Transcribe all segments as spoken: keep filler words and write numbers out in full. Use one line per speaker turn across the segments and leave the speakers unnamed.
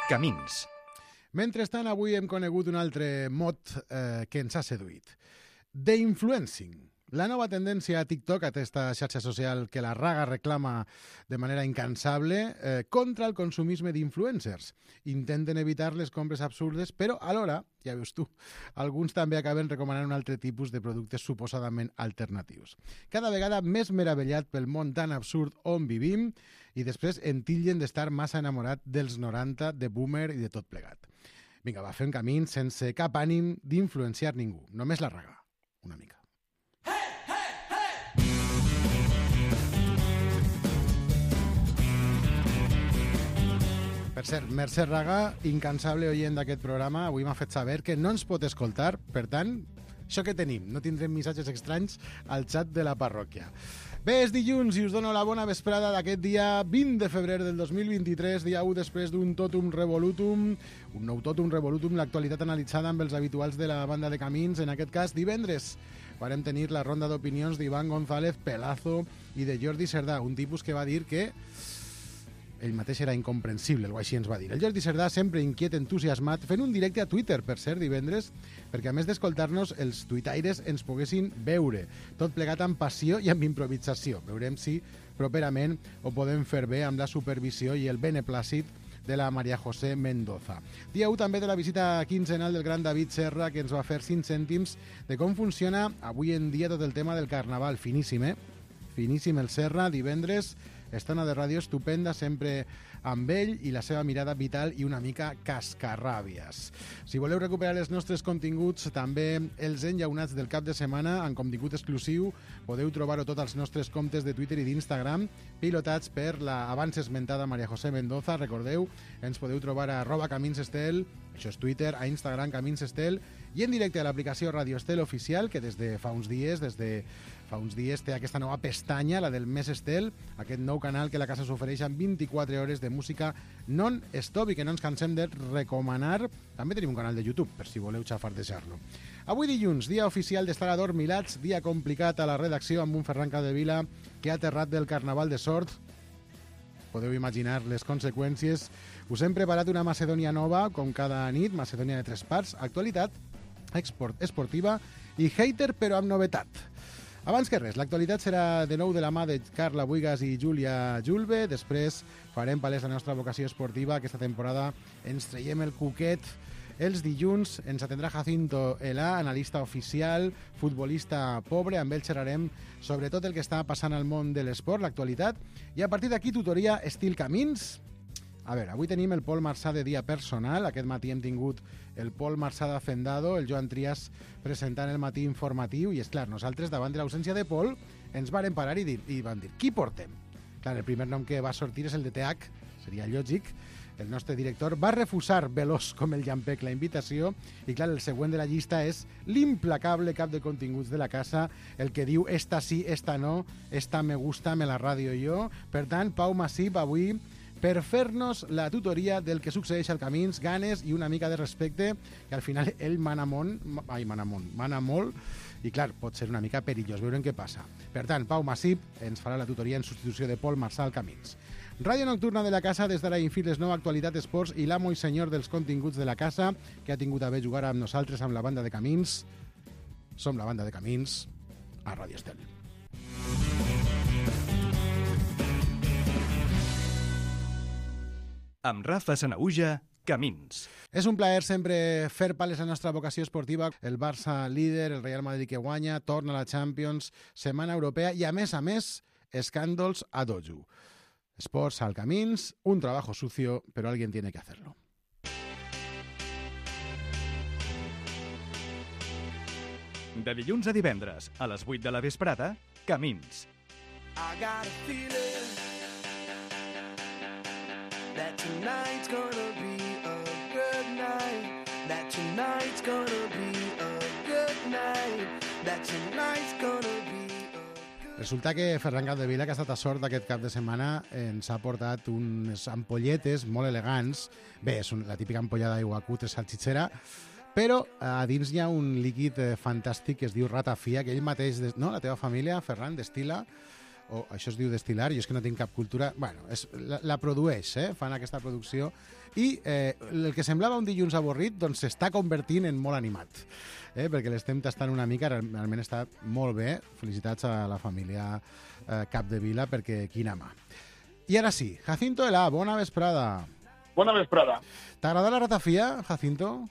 Camins.
Mentrestant, avui hem conegut un altre mot eh, que ens ha seduït. The-influencing. La nova tendència a TikTok, aquesta xarxa social que la Raga reclama de manera incansable, eh, contra el consumisme d'influencers. Intenten evitar les compres absurdes, però alhora, ja veus tu, alguns també acaben recomanant un altre tipus de productes suposadament alternatius. Cada vegada més meravellat pel món tan absurd on vivim i després en titllen d'estar massa enamorat dels noranta, de boomer i de tot plegat. Vinga, va, fem camí sense cap ànim d'influenciar ningú. Només la Raga. Una mica. Per cert, Mercè Raga, incansable oient d'aquest programa, avui m'ha fet saber que no ens pot escoltar, per tant, això que tenim, no tindrem missatges estranys al xat de la parròquia. Bé, és dilluns i us dono la bona vesprada d'aquest dia vint de febrer del dos mil vint-i-tres, dia u després d'un totum revolutum, un nou totum revolutum, l'actualitat analitzada amb els habituals de la banda de Camins, en aquest cas divendres. Varem tenir la ronda d'opinions d'Ivan González, Pelazo i de Jordi Cerdà, un tipus que va dir que ell mateix era incomprensible, o així ens va dir. El Jordi Cerdà, sempre inquiet, entusiasmat, fent un directe a Twitter, per cert, divendres, perquè a més d'escoltar-nos, els tuitaires ens poguessin veure. Tot plegat amb passió i amb improvisació. Veurem si properament ho podem fer bé amb la supervisió i el beneplàcit de la Maria José Mendoza. Dia u també de la visita quinzenal del gran David Serra, que ens va fer cinc cèntims de com funciona avui en dia tot el tema del carnaval. Finíssim, eh? Finíssim el Serra, divendres, estona de ràdio estupenda, sempre amb ell i la seva mirada vital i una mica cascarràbies. Si voleu recuperar els nostres continguts, també els enllaunats del cap de setmana, en contingut exclusiu, podeu trobar-ho tots als nostres comptes de Twitter i d'Instagram, pilotats per la abans esmentada Maria José Mendoza. Recordeu, ens podeu trobar a arroba Camins Estel, això és Twitter, a Instagram Camins Estel, i en directe a l'aplicació Radio Estel Oficial, que des de fa uns dies, des de fa uns dies té aquesta nova pestanya, la del Mes Estel, aquest nou canal que la casa s'ofereix amb vint-i-quatre hores de música non-stop i que no ens cansem de recomanar. També tenim un canal de YouTube, per si voleu xafardejar-lo. Avui dilluns, dia oficial d'estar adormilats, dia complicat a la redacció amb un Ferran Capdevila que ha aterrat del Carnaval de Sort. Podeu imaginar les conseqüències. Us hem preparat una Macedònia nova, com cada nit, Macedònia de tres parts, actualitat, export, esportiva i hater, però amb novetat. Abans que res, l'actualitat serà de nou de la mà de Carla Buigas i Júlia Julve. Després farem palès la nostra vocació esportiva. Aquesta temporada ens traiem el cuquet. Els dilluns ens atendrà Jacinto Elà, analista oficial, futbolista pobre. Amb ell xerrarem sobre tot el que està passant al món de l'esport, l'actualitat. I a partir d'aquí, tutoria estil Camins. A veure, avui tenim el Pol Marçà de dia personal. Aquest matí hem tingut el Pol Marçà d'Hacendado, el Joan Trias presentant el matí informatiu. I és clar, nosaltres, davant de l'ausència de Pol, ens varen parar i, dir, i van dir, qui portem? Clar, el primer nom que va sortir és el de T H, seria lògic. El nostre director va refusar veloç com el llampec la invitació i clar, el següent de la llista és l'implacable cap de continguts de la casa, el que diu esta sí, esta no, esta me gusta, me la radio jo. Per tant, Pau Massip avui per fer-nos la tutoria del que succeeix al Camins, ganes i una mica de respecte, que al final ell mana molt, ai, mana molt, mana molt, i clar, pot ser una mica perillós, veurem què passa. Per tant, Pau Massip ens farà la tutoria en substitució de Pol Marçà al Camins. Ràdio Nocturna de la casa, des d'ara infir les nova actualitat esports i l'amo i senyor dels continguts de la casa, que ha tingut a bé jugar amb nosaltres amb la banda de Camins. Som la banda de Camins a Ràdio Estel.
Amb Rafa Sanaüja, Camins.
És un plaer sempre fer pales a la nostra vocació esportiva. El Barça líder, el Real Madrid que guanya, torna a la Champions, setmana europea i, a més a més, escàndols a dojo. Esports al Camins, un trabajo sucio, pero alguien tiene que hacerlo.
De dilluns a divendres, a les vuit de la vesprada, Camins.
I got a feeling that tonight's gonna be a good night, that tonight's gonna be a good night, that tonight's gonna be a good...
Resulta que Ferran Capdevila, que ha estat a sort d'aquest cap de setmana, ens ha portat unes ampolletes molt elegants. Bé, és la típica ampolla d'aigua cutre salchichera, però a dins hi ha un líquid fantàstic que es diu ratafia, que ell mateix, no? La teva família, Ferran, destila o això es diu destil·lar, jo és que no tinc cap cultura, bueno, és, la, la produeix, eh? Fan aquesta producció, i eh, el que semblava un dilluns avorrit doncs s'està convertint en molt animat, eh? Perquè l'estem tastant una mica, realment està molt bé, felicitats a la família eh, Capdevila, perquè quina mà. I ara sí, Jacinto Elà, bona vesprada.
Bona vesprada.
T'agrada la ratafia, Jacinto?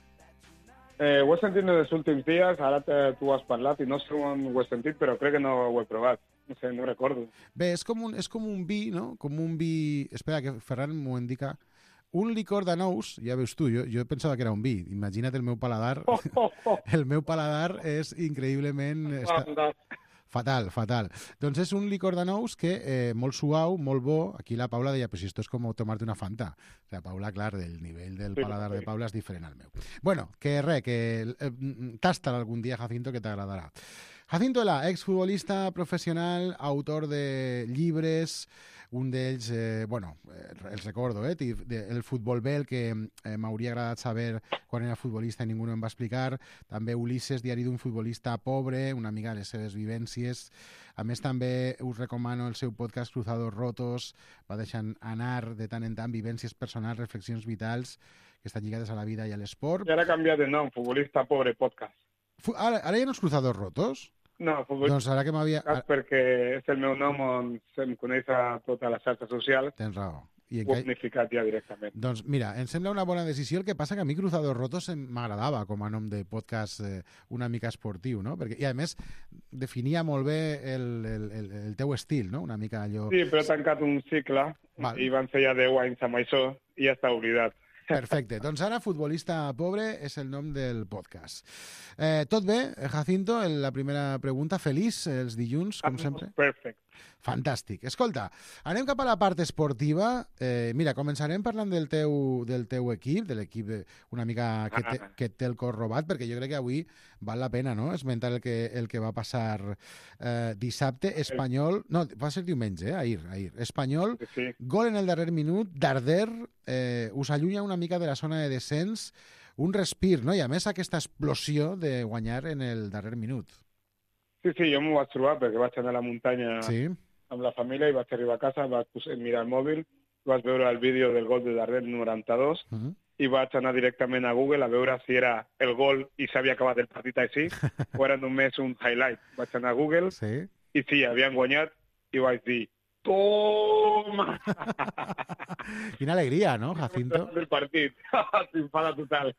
Eh, ho he sentit en els últims dies, ara te, tu has parlat i no sé on ho he sentit, però crec que no ho he provat. No sé, no recordo.
Bé, és com un, és com un vi, no? Com un vi... Espera, que Ferran m'ho indica. Un licor d'anous, ja veus tu, jo, jo pensava que era un vi. Imagina't el meu paladar.
Oh, oh, oh.
El meu paladar és increïblement... Està... Fatal, fatal. Doncs és un licor d'anous que eh, molt suau, molt bo. Aquí la Paula deia, pues esto es como tomarte una Fanta. O sea, Paula, clar, del nivell del paladar de Paula és diferent al meu. Bueno, que res, que eh, tasta algun dia, Jacinto, que t'agradarà. Jacinto Elà, exfutbolista professional, autor de llibres, un d'ells, eh, bueno, eh, els recordo, eh, el futbol bé, el que eh, m'hauria agradat saber quan era futbolista i ningú no em va explicar, també Ulisses, diari d'un futbolista pobre, una mica de les seves vivències. A més, també us recomano el seu podcast Cruzados Rotos, va deixant anar de tant en tant vivències personals, reflexions vitals, que estan lligades a la vida i a l'esport.
I ara ha canviat de nom, Futbolista Pobre Podcast.
Fu ara, ara ja no és Cruzados Rotos?
No, futbolista
doncs ara que m'havia...
perquè és el meu nom on se'm coneix a totes les xarxes socials.
Tens raó. I
ho he unificat ja directament.
Doncs mira, em sembla una bona decisió, el que passa que a mi Cruzados Rotos m'agradava com a nom de podcast eh, una mica esportiu, no? Perquè, i a més definia molt bé el, el, el, el teu estil, no? Una mica allò...
Sí, però he tancat un cicle Val. i van ser ja deu anys amb això i ja està oblidat.
Perfecte. Doncs ara, Futbolista Pobre és el nom del podcast. Eh, tot bé, Jacinto? La primera pregunta. Feliç els dilluns, com sempre?
Perfecte.
Fantàstic. Escolta, anem cap a la part esportiva. Eh, mira, començarem parlant del teu, del teu equip, de l'equip una mica que, te, que té el cor robat, perquè jo crec que avui val la pena, no?, esmentar el que, el que va passar eh, dissabte. Espanyol... No, va ser diumenge, eh? Ahir, ahir. Espanyol,
sí.
Gol en el darrer minut, Darder, eh, us allunya una mica de la zona de descens, un respir, no? I a més aquesta explosió de guanyar en el darrer minut.
Sí, sí, jo m'ho vaig trobar perquè vaig anar a la muntanya
sí.
amb la família i vaig arribar a casa, vaig mirar el mòbil, vaig veure el vídeo del gol de Darder noranta-dos uh -huh. i vaig anar directament a Google a veure si era el gol i s'havia acabat el partit així o era només un highlight. Vaig anar a Google
sí.
i sí, havien guanyat i vaig dir toma!
Quina alegria, no, Jacinto?
El partit, s'infada total.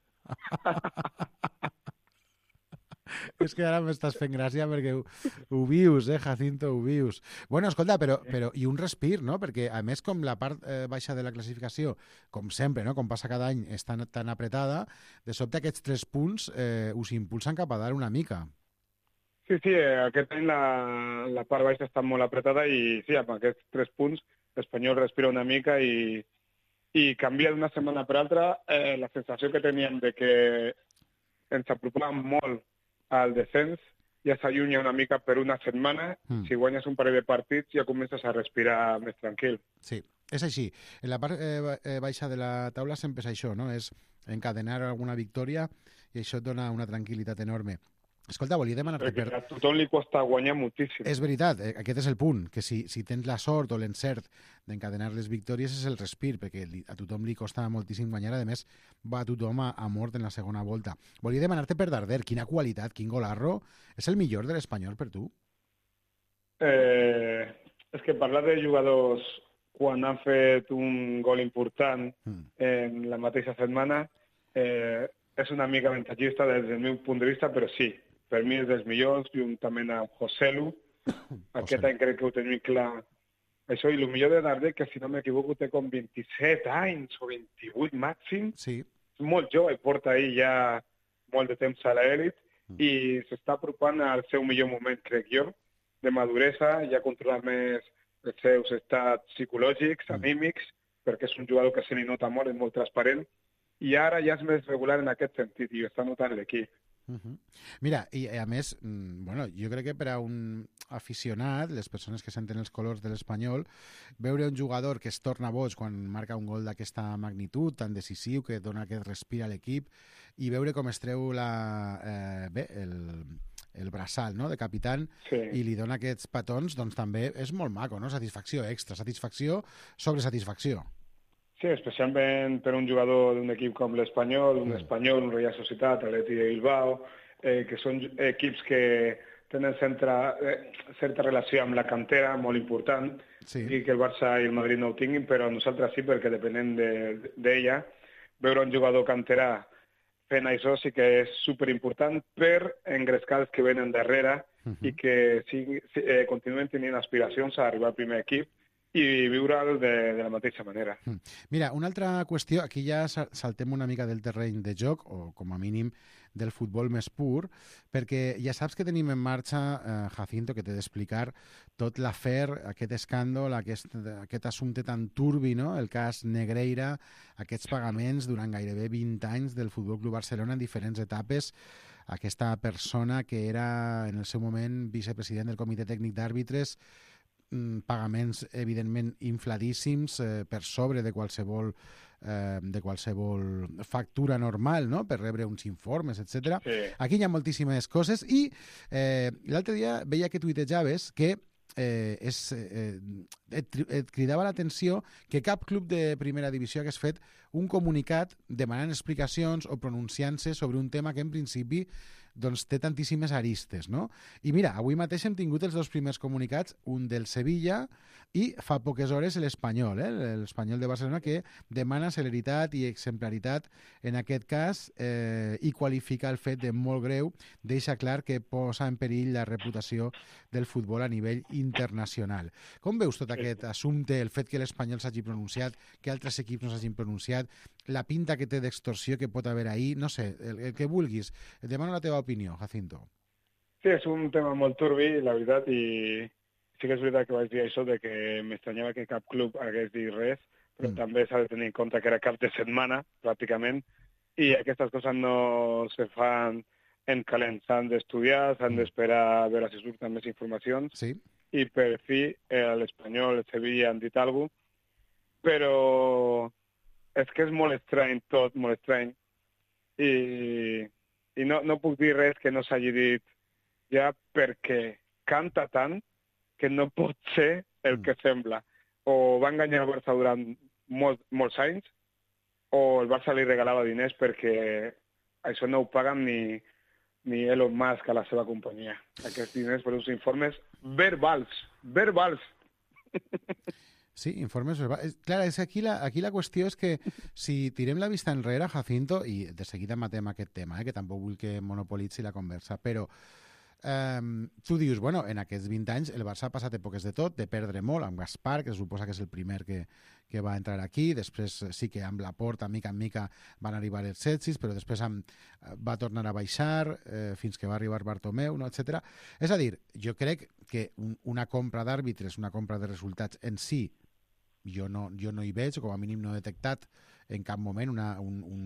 És que ara m'estàs fent gràcia perquè ho, ho vius, eh, Jacinto, ho vius. Bueno, escolta, però, però i un respir, no? Perquè, a més, com la part eh, baixa de la classificació, com sempre, no?, com passa cada any, està tan apretada, de sobte aquests tres punts eh, us impulsen cap a dalt una mica.
Sí, sí, aquest any la, la part baixa està molt apretada i sí, amb aquests tres punts l'Espanyol respira una mica i, i canvia d'una setmana per altra. Eh, la sensació que teníem de que ens apropàvem molt al descens ja s'allunya una mica per una setmana. Mm. Si guanyes un parell de partits ja comences a respirar més tranquil.
Sí, és així. En la part eh, baixa de la taula sempre és això, no? És encadenar alguna victòria i això et dona una tranquil·litat enorme. Escolta, volia demanar-te...
Perquè per... a tothom li costa guanyar moltíssim.
És veritat, eh, aquest és el punt, que si, si tens la sort o l'encert d'encadenar les victòries és el respir, perquè li, a tothom li costa moltíssim guanyar, a més va tothom a, a mort en la segona volta. Volia demanar-te per Darder, quina qualitat, quin golarro, és el millor de l'Espanyol per tu?
Eh, és que parlar de jugadors quan han fet un gol important mm. en la mateixa setmana eh, és una mica avantatgista des del meu punt de vista, però sí, per mi és dels millors, juntament amb Joselu. Aquest any crec que ho tenim clar. Això, i el millor de Darder, que si no m'equivoco té com vint-i-set anys o vint-i-vuit màxim.
Sí.
És molt jove, porta ahir ja molt de temps a l'elit mm. i s'està apropant al seu millor moment, crec jo, de maduresa, ja controla més els seus estats psicològics, mm. anímics, perquè és un jugador que se li nota molt, és molt transparent, i ara ja és més regular en aquest sentit, i ho està notant l'equip.
Uh -huh. Mira, i a més, bueno, jo crec que per a un aficionat, les persones que senten els colors de l'Espanyol, veure un jugador que es torna boig quan marca un gol d'aquesta magnitud, tan decisiu, que dona aquest respir a l'equip, i veure com es treu la, eh, bé, el, el braçal, no?, de capitán,
Sí.
i li dona aquests petons, doncs també és molt maco, no? Satisfacció extra, satisfacció sobre satisfacció.
Sí, especialment per un jugador d'un equip com l'Espanyol, un
Mm.
Espanyol, un Real Societat, Atleti de Bilbao, eh, que són equips que tenen centra, eh, certa relació amb la cantera, molt important,
Sí.
i que el Barça i el Madrid no ho tinguin, però nosaltres sí, perquè depenem de- d'ella. Veure un jugador canterà fent això sí que és superimportant per engrescar els que venen darrere
Uh
i que sigui, eh, continuen tenint aspiracions a arribar al primer equip i viure'l de, de la mateixa manera.
Mira, una altra qüestió, aquí ja sa- saltem una mica del terreny de joc, o com a mínim del futbol més pur, perquè ja saps que tenim en marxa, eh, Jacinto, que t'he d'explicar tot l'afer, aquest escàndol, aquest, aquest assumpte tan turbi, no?, el cas Negreira, aquests pagaments durant gairebé vint anys del Futbol Club Barcelona en diferents etapes, aquesta persona que era en el seu moment vicepresident del Comitè Tècnic d'Àrbitres, mm, pagaments evidentment infladíssims, eh, per sobre de qualsevol eh, de qualsevol factura normal, no?, per rebre uns informes, etcètera.
Sí.
Aquí hi ha moltíssimes coses i eh, l'altre dia veia que tuitejaves que eh, és, eh, et, et cridava l'atenció que cap club de primera divisió hagués fet un comunicat demanant explicacions o pronunciant-se sobre un tema que en principi doncs té tantíssimes aristes, no? I mira, avui mateix hem tingut els dos primers comunicats, un del Sevilla i fa poques hores l'Espanyol, eh? l'Espanyol de Barcelona, que demana celeritat i exemplaritat en aquest cas eh, i qualifica el fet de molt greu, deixa clar que posa en perill la reputació del futbol a nivell internacional. Com veus tot aquest assumpte, el fet que l'Espanyol s'hagi pronunciat, que altres equips no s'hagin pronunciat, la pinta que té d'extorsió que pot haver ahir, no sé, el, el que vulguis. Et demano la teva opinió, Jacinto.
Sí, és un tema molt turbi, la veritat, i sí que és veritat que vaig dir això de que m'estranyava que cap club hagués dit res, però
Mm.
mm. també s'ha de tenir en compte que era cap de setmana, pràcticament, i aquestes coses no se fan en calent. S'han d'estudiar, s'han
Mm.
d'esperar a veure si surten més informacions,
Sí?
i per fi eh, l'Espanyol, el Sevilla han dit alguna cosa, però és que és molt estrany tot, molt estrany, i, i no, no puc dir res que no s'hagi dit ja perquè canta tant que no pot ser el
Mm.
que sembla. O va enganyar el Barça durant molt, molts anys, o el Barça li regalava diners perquè això no ho paguen ni, ni Elon Musk a la seva companyia. Aquests diners per uns informes verbals, verbals.
Sí, informes verbals. Clar, és que aquí la, aquí la qüestió és que si tirem la vista enrere, Jacinto, i de seguida matem aquest tema, eh, que tampoc vull que monopolitzi la conversa, però eh, tu dius, bueno, en aquests vint anys el Barça ha passat èpoques de tot, de perdre molt, amb Gaspar, que se suposa que és el primer que, que va entrar aquí, després sí que amb la Porta, mica en mica, van arribar els setsis, però després amb, va tornar a baixar eh, fins que va arribar Bartomeu, no, etcètera. És a dir, jo crec que un, una compra d'àrbitres, una compra de resultats en si, jo no, jo no hi veig, o com a mínim no he detectat en cap moment una, un, un,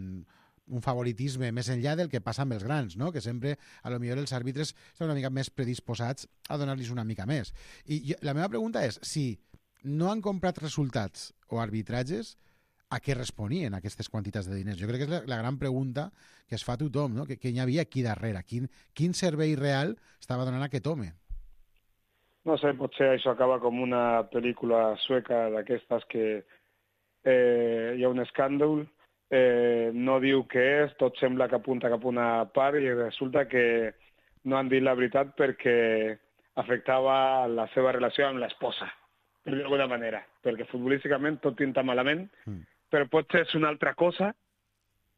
un favoritisme més enllà del que passa amb els grans, no? Que sempre, a lo millor, els àrbitres estan una mica més predisposats a donar-los una mica més. I jo, la meva pregunta és, si no han comprat resultats o arbitratges, a què responien aquestes quantitats de diners? Jo crec que és la, la gran pregunta que es fa a tothom, no? Que, que hi havia aquí darrere, quin, quin servei real estava donant aquest home?
No sé, potser això acaba com una pel·lícula sueca d'aquestes que eh, hi ha un escàndol, eh, no diu què és, tot sembla que apunta cap a una part i resulta que no han dit la veritat perquè afectava la seva relació amb l'esposa, per dir d'alguna manera, perquè futbolísticament tot pinta malament,
Mm.
però potser és una altra cosa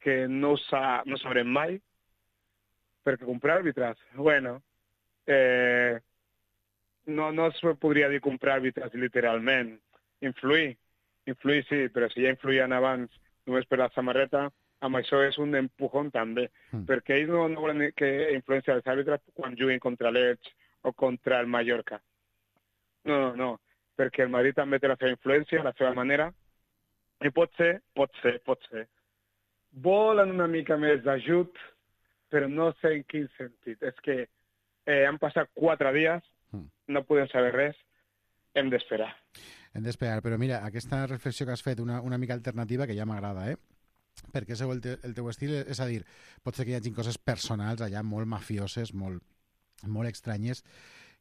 que no, sa, no sabrem mai, perquè comprar àrbitres, bueno, eh, no, no es podria dir comprar àrbitres literalment. Influir, influir sí, però si ja influïen abans només per la samarreta, amb això és un empujón també,
Mm.
perquè ells no, no volen que influència els àrbitres quan juguin contra l'Elx o contra el Mallorca. No, no, no, perquè el Madrid també té la seva influència, la seva manera, i pot ser, pot ser, pot ser. Volen una mica més d'ajut, però no sé en quin sentit. És que eh, han passat quatre dies,
Mm.
no podem saber res, hem d'esperar.
Hem d'esperar, però mira, aquesta reflexió que has fet, una, una mica alternativa, que ja m'agrada, eh? Perquè és el, te, el teu estil, és a dir, pot ser que hi hagi coses personals allà molt mafioses, molt molt estranyes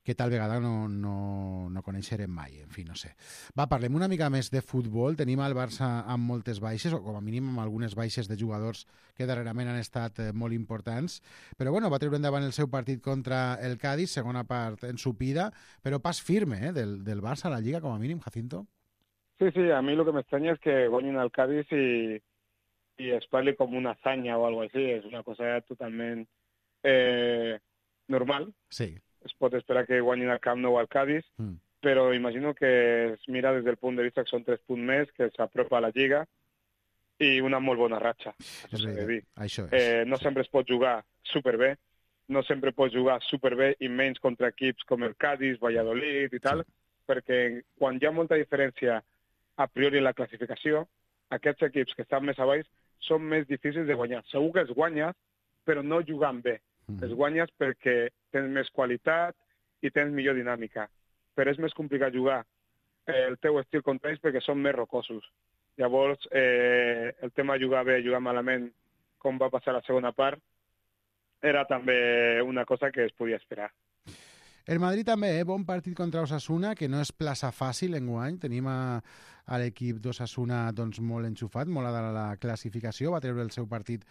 que tal vegada no, no, no coneixerem mai, en fi, no sé. Va, parlem una mica més de futbol. Tenim el Barça amb moltes baixes, o com a mínim amb algunes baixes de jugadors que darrerament han estat eh, molt importants, però bueno, va treure endavant el seu partit contra el Cádiz, segona part ensupida, però pas firme eh, del, del Barça a la Lliga, com a mínim, Jacinto.
Sí, sí, a mí lo que me extraña es que guanyin al Cádiz y, y es parli com una hazaña o algo así, es una cosa totalment eh, normal.
Sí.
Es pot esperar que guanyin al Camp Nou al Cádiz, mm. però imagino que es mira des del punt de vista que són tres punts més, que s'apropa a la Lliga i una molt bona ratxa.
És veritat, això és.
Eh, no sí. sempre es pot jugar superbé, no sempre pots jugar superbé i menys contra equips com el Cádiz, Valladolid i tal, sí. perquè quan hi ha molta diferència a priori en la classificació, aquests equips que estan més a baix són més difícils de guanyar. Segur que els guanyes, però no jugant bé. Mm-hmm. Els guanyes perquè tens més qualitat i tens millor dinàmica. Però és més complicat jugar eh, el teu estil contra ells perquè són més rocosos. Llavors, eh, el tema de jugar bé, jugar malament, com va passar la segona part, era també una cosa que es podia esperar.
El Madrid també, eh? Bon partit contra Osasuna, que no és plaça fàcil enguany. Tenim a, a l'equip d'Osasuna doncs, molt enxufat, molt a dalt la classificació. Va treure el seu partit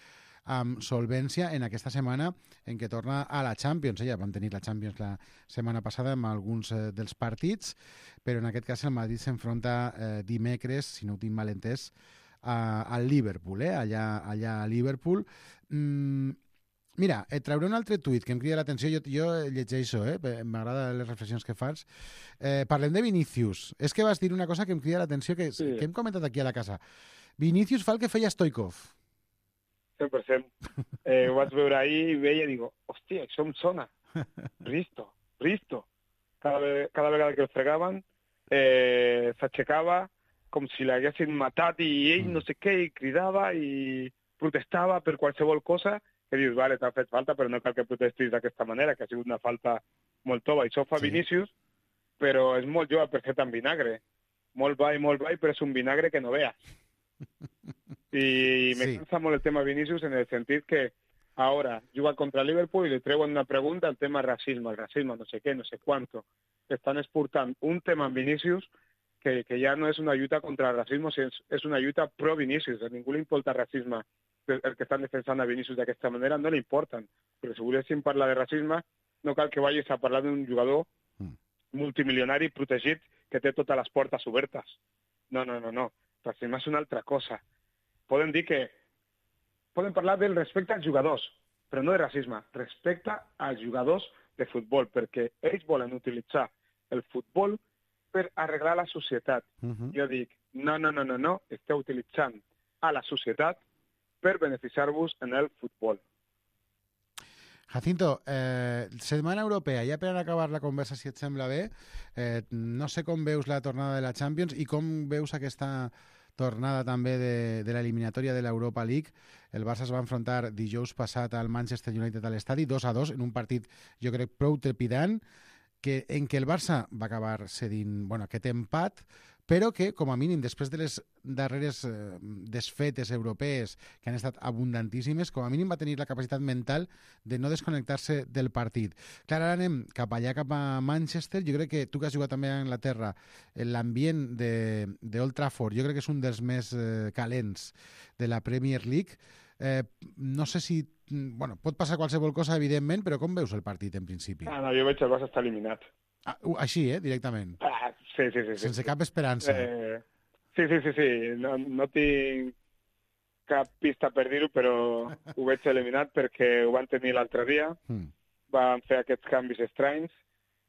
amb solvència en aquesta setmana en què torna a la Champions. Ja van tenir la Champions la setmana passada amb alguns eh, dels partits, però en aquest cas el Madrid s'enfronta eh, dimecres, si no ho tinc mal entès, a, al Liverpool, eh? allà, allà a Liverpool. Mm, Mira, et trauré un altre tuit que em crida l'atenció. Jo, jo llegeixo, eh? M'agrada les reflexions que fas. Eh, parlem de Vinícius. És que vas dir una cosa que em crida l'atenció, que, sí. que hem comentat aquí a la casa. Vinícius fa el que feia Stoikov.
cent per cent. Eh, ho vaig veure ahir i veia i digo, hòstia, això em sona. Risto, Risto. Cada, cada vegada que el fregaven, eh, s'aixecava com si l'haguessin matat i ell mm. no sé què, i cridava i protestava per qualsevol cosa, que dius, vale, t'ha fet falta, però no cal que protestis d'aquesta manera, que ha sigut una falta molt tova. Això fa sí. Vinícius, però és molt jove per fer tant vinagre. Molt ball, molt ball, però és un vinagre que no veas. I me sí. cansa molt el tema Vinícius en el sentit que ahora juga contra Liverpool i li treuen una pregunta al tema racisme, el racisme, no sé què, no sé quanto. Estan exportant un tema en Vinícius que, que ja no és una lluita contra el racisme, sinó és una lluita pro Vinícius. A ningú li importa el racisme. El que estan defensant a Vinícius d'aquesta manera no li importen. Però si volguéssim parlar de racisme, no cal que vagis a parlar d'un jugador mm. multimilionari protegit que té totes les portes obertes. No, no, no, no. Racisme és una altra cosa. Poden dir que... Poden parlar del respecte als jugadors, però no de racisme. Respecte als jugadors de futbol, perquè ells volen utilitzar el futbol per arreglar la societat. Mm-hmm. Jo dic, no, no, no, no, no. Esteu utilitzant a la societat per beneficiar-vos en el futbol.
Jacinto, eh, setmana europea, ja per acabar la conversa, si et sembla bé, eh, no sé com veus la tornada de la Champions i com veus aquesta tornada també de, de l'eliminatòria de l'Europa League. El Barça es va enfrontar dijous passat al Manchester United a l'estadi, dos a dos, en un partit, jo crec, prou trepidant, que, en què el Barça va acabar cedint bueno, aquest empat, però que, com a mínim, després de les darreres eh, desfetes europees, que han estat abundantíssimes, com a mínim va tenir la capacitat mental de no desconnectar-se del partit. Clar, ara anem cap allà, cap a Manchester. Jo crec que tu que has jugat també a Anglaterra, l'ambient d'Old Trafford, jo crec que és un dels més eh, calents de la Premier League. Eh, no sé si... Bueno, pot passar qualsevol cosa, evidentment, però com veus el partit, en principi?
Ah, no, jo veig el Barça està eliminat.
Ah, així, eh, directament.
Ah, sí, sí, sí.
Sense
sí.
cap esperança.
Eh, sí, sí, sí, sí. No, no tinc cap pista per dir-ho, però ho veig eliminat perquè ho van tenir l'altre dia. Mm. Van fer aquests canvis estranys.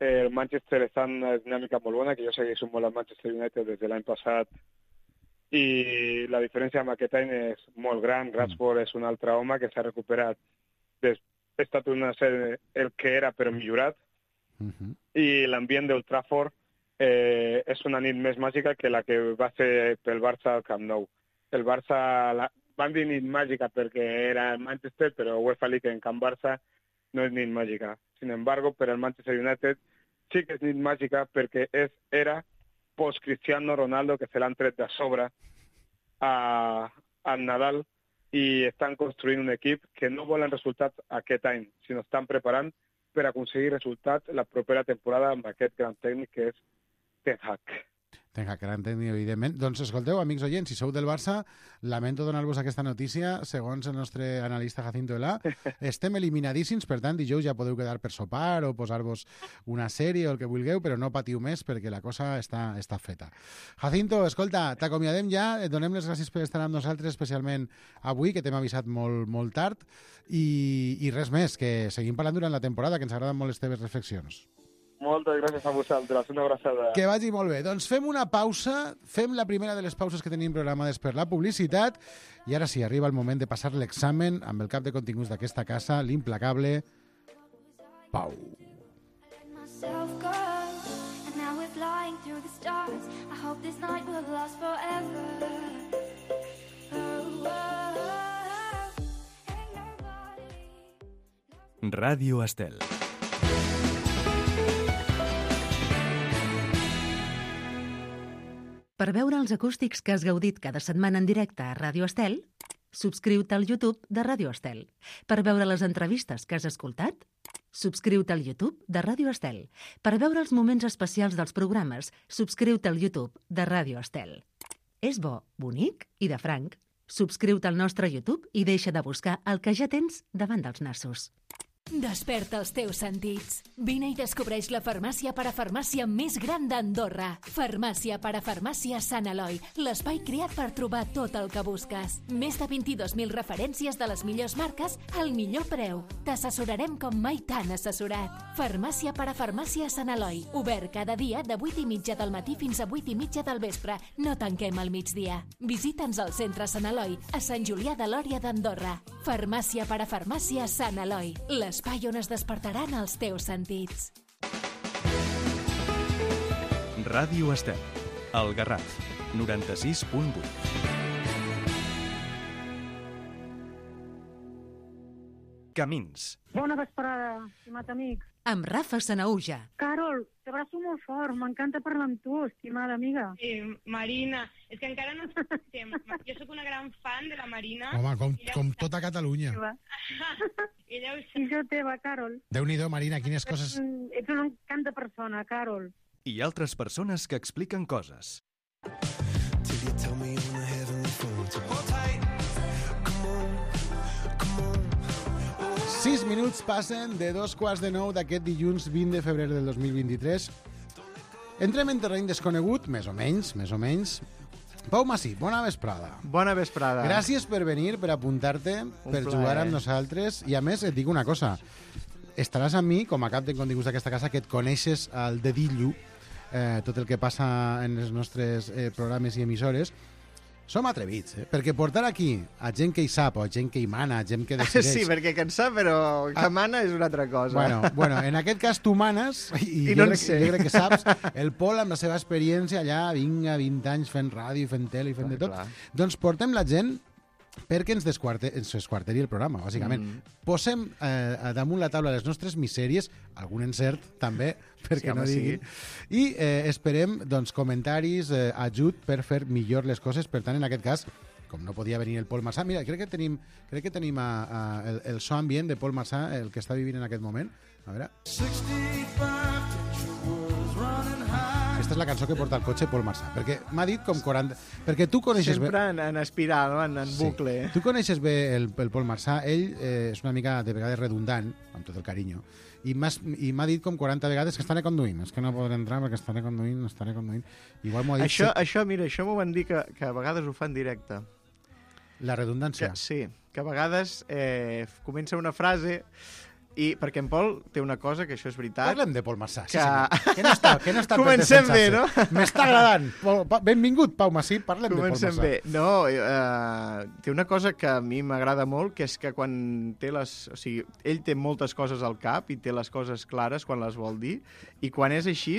Eh, el Manchester està en una dinàmica molt bona, que jo segueixo molt al Manchester United des de l'any passat. I la diferència amb aquest any és molt gran. Rashford mm. és un altre home que s'ha recuperat. Des, ha estat una sèrie el que era, però millorat. Uh-huh. I l'ambient d'Old Trafford eh, és una nit més màgica que la que va ser pel Barça al Camp Nou. El Barça, la, van dir nit màgica perquè era el Manchester, però UEFA League en Camp Barça no és nit màgica. Sin embargo, per el Manchester United sí que és nit màgica perquè és, era post-Cristiano Ronaldo, que se l'han tret de sobre a, al Nadal, i estan construint un equip que no volen resultats aquest any, sinó estan preparant per aconseguir resultats la propera temporada amb aquest gran tècnic que és Ten Hag.
Ten Hag, gran tècnic, evidentment. Doncs escolteu, amics oients, si sou del Barça, lamento donar-vos aquesta notícia. Segons el nostre analista Jacinto Elà, estem eliminadíssims, per tant, dijous ja podeu quedar per sopar o posar-vos una sèrie o el que vulgueu, però no patiu més perquè la cosa està, està feta. Jacinto, escolta, t'acomiadem ja, et donem les gràcies per estar amb nosaltres, especialment avui, que t'hem avisat molt, molt tard, i, i res més, que seguim parlant durant la temporada, que ens agraden molt les teves reflexions.
Moltes gràcies a vosaltres, una abraçada.
Que vagi molt bé. Doncs fem una pausa, fem la primera de les pauses que tenim programades per la publicitat, i ara sí, arriba el moment de passar l'examen amb el cap de continguts d'aquesta casa, l'implacable Pau.
Ràdio Estel.
Per veure els acústics que has gaudit cada setmana en directe a Ràdio Estel, subscriu-te al YouTube de Ràdio Estel. Per veure les entrevistes que has escoltat, subscriu-te al YouTube de Ràdio Estel. Per veure els moments especials dels programes, subscriu-te al YouTube de Ràdio Estel. És bo, bonic i de franc. Subscriu-te al nostre YouTube i deixa de buscar el que ja tens davant dels nassos.
Desperta els teus sentits. Vine i descobreix la farmàcia parafarmàcia més gran d'Andorra. Farmàcia parafarmàcia Sant Eloi, l'espai creat per trobar tot el que busques. Més de vint-i-dos mil referències de les millors marques al millor preu. T'assessorarem com mai t'han assessorat. Farmàcia parafarmàcia Sant Eloi, obert cada dia de vuit i mitja del matí fins a vuit i mitja del vespre. No tanquem al migdia. Visita'ns al centre Sant Eloi, a Sant Julià de Lòria d'Andorra. Farmàcia parafarmàcia Sant Eloi, l'espai on es despertaran els teus sentits.
Ràdio Estel, el Garraf, noranta-sis punt vuit. Camins.
Bona vesprada, estimat amics.
Amb Rafa Sanaúja.
Carol, t'abraço molt fort, m'encanta parlar amb tu, estimada amiga.
Eh, Marina, és que encara no ens coneixem. Jo sóc una gran fan de la Marina.
Home, com,
Ella
com
ho
tota Catalunya.
Ella ho
I jo teva, Carol.
Déu-n'hi-do, Marina, quines coses...
Ets, ets una encant de persona, Carol.
I altres persones que expliquen coses.
Till you tell me on the heavenly phone to hold tight. Come on, come on.
Sis minuts passen de dos quarts de nou d'aquest dilluns vint de febrer del dos mil vint-i-tres. Entrem en terreny desconegut, més o menys, més o menys. Pau Massí, bona vesprada.
Bona vesprada.
Gràcies per venir, per apuntar-te, per
plaer.
jugar amb nosaltres. I a més, et dic una cosa. Estaràs amb mi, com a cap de continguts d'aquesta casa, que et coneixes al dedillo, eh, tot el que passa en els nostres eh, programes i emissores. Som atrevits, eh? Perquè portar aquí a gent que hi sap, o a gent que hi mana, a gent que decideix...
Sí, perquè que en sap, però que
Ah.
mana és una altra cosa.
Bueno, bueno, en aquest cas tu manes i,
I
jo,
no en
crec,
sé.
jo crec que saps. El Pol, amb la seva experiència allà, vinga, vint anys fent ràdio, fent tele i fent
Clar,
de tot.
clar.
Doncs portem la gent perquè ens, desquarte, ens desquarteri el programa, bàsicament.
Mm.
Posem eh, damunt la taula les nostres misèries, algun encert també, perquè
Sí, home,
no diguin, i eh, esperem doncs, comentaris, eh, ajut per fer millor les coses. Per tant, en aquest cas, com no podia venir el Pol Marsà, mira, crec que tenim, crec que tenim a, a, el, el so ambient de Pol Marsà, el que està vivint en aquest moment. A veure... Aquesta és la cançó que porta el cotxe Pol Marsà, perquè m'ha dit com quaranta... Perquè tu coneixes
Sempre
bé...
en, en espiral, en, en bucle.
Sí. Tu coneixes bé el, el Pol Marsà. Ell eh, és una mica, de vegades, redundant, amb tot el carinyo, i m'ha dit com quaranta vegades que estaré conduint. És que no podré entrar perquè estaré conduint, estaré conduint. Igual m'ho ha dit...
Això,
set-
això, mira, això m'ho van dir que, que a vegades ho fan directe.
La redundància.
Que, sí, que a vegades eh, comença una frase i perquè en Pol té una cosa, que això és veritat.
Parlem de Pol Marsà. Sí,
Que-
senyor. Que no està, que no està per
Comencem bé,
defensar-se.
no?
M'està agradant. Pol- Pa- Benvingut, Pau Massí, parlem de Pol
Comencem
Marsà.
bé. No, eh, té una cosa que a mi m'agrada molt, que és que quan té les... O sigui, ell té moltes coses al cap i té les coses clares quan les vol dir, i quan és així